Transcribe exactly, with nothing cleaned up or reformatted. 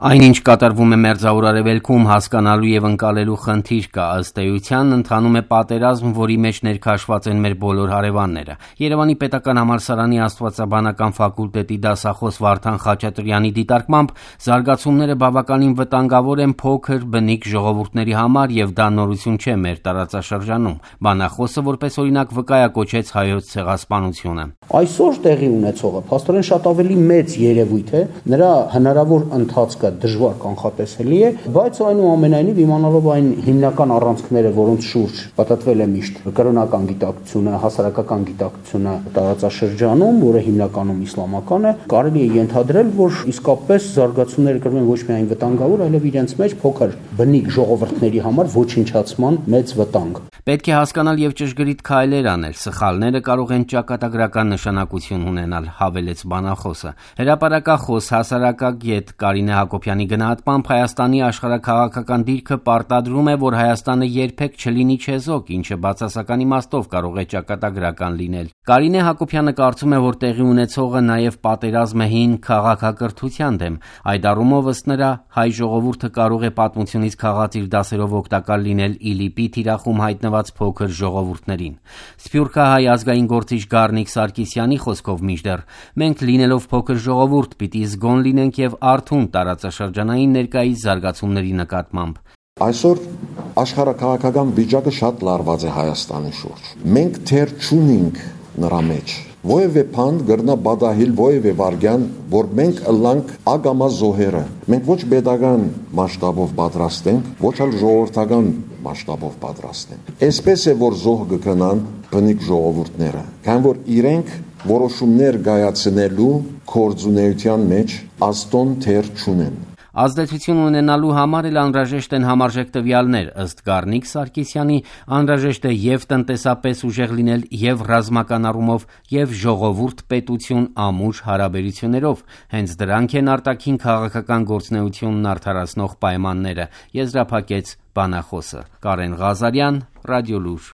Այնինչ կատարվում է Մերձավոր Արևելքում, հասկանալու եւ ընկալելու խնդիր կա, ըստ էության ընթանում է պատերազմ, որի մեջ ներքաշված են մեր բոլոր հարևանները։ Երևանի պետական համալսարանի աստվածաբանական ֆակուլտետի դասախոս Վարդան Խաչատրյանի դիտարկմամբ զարգացումները բավականին վտանգավոր են փոքր բնիկ ժողովուրդների համար եւ դա նորություն չէ մեր տարածաշրջանում։ Բանախոսը որպես օրինակ վկայակոչեց հայոց ցեղասպանությունը։ Այսօր տեղի ունեցողը փաստորեն շատ ավելի մեծ երևույթ է, նրա հնարավոր ընթացքը դժվար կանխատեսելի է, բայց այնուամենայնիվ իմանալով այն հիմնական առանցքները, որոնց շուրջ պատտվել է միշտ կրոնական գիտակցությունը, հասարակական գիտակցությունը տարածաշրջանում, որը հիմնականում իսլամական է, կարելի է ենթադրել, որ իսկապես զարգացումները կրում են ոչ միայն վտանգավոր, այլև իրենց մեջ փոքր բնիկ ժողովուրդների համար ոչնչացման մեծ վտանգ։ Պետք է հասկանալ եւ ճշգրիտ քայլեր անել, սխալները կարող են ճակատագրական նշանակություն ունենալ, հավելեց բանախոսը։ Հրապարակախոս հասարակագետ Կարինե Հակոբյանի գնահատմամբ Հայաստանի աշխարհաքաղաքական դիրքը պարտադրում է, որ Հայաստանը երբեք չլինի չեզոք, ինչը բացասական իմաստով կարող է ճակատագրական լինել։ Կարինե Հակոբյանը կարծում է, որ տեղի ունեցողը նաեւ պատերազմ է հին քաղաքակրթության դեմ։ Այդ առումով ըստ նրա հայ ժողովուրդը կարող է պատմությունից քաղած իր դասերով օգտակար լինել ԻԼԻՊ-ի թիրախում հայտնված փոքր ժողովուրդներին։ Սփյուռքահայ ազգային գործիչ Գառնիկ Սարգսյանի խոսքով մինչդեռ մենք լինելով փոքր ժողովուրդ պիտի զգոն լինենք եւ արթուն տարածաշրջանային ներկայիս զարգացումների նկատմամբ։ Այսօր աշխարհաքաղաքական վիճակը շատ լարված է Հայաստանի շուրջ։ Մենք թեր չունենք նրա մեջ որևէ բան գրնա բադահիլ որևէ վարգյան, որ մենք ըլլանք ագամա զոհերը։ Մենք ոչ pedagogan մասշտաբով պատրաստ ենք, ոչ էլ ժողովրդական մասշտաբով պատրաստ ենք։ Այսպես է, որ զոհ կգնան բնիկ ժողովուրդները, քան որ իրենք որոշումներ կայացնելու կորձունեության մեջ աստոն թեր չունեն։ Ազդեցություն ունենալու համար էլ անհրաժեշտ են համարժեք տվյալներ, ըստ Գառնիկ Սարգսյանի անհրաժեշտ է եւ տնտեսապես ուժեղ լինել եւ ռազմական առումով եւ ժողովուրդ-պետություն ամուր հարաբերություններով։ Հենց դրանք են արտաքին քաղաքական գործունեությունն արդարացնող պայմանները, եզրափակեց բանախոսը։ Կարեն Ղազարյան, Ռադիոլուր։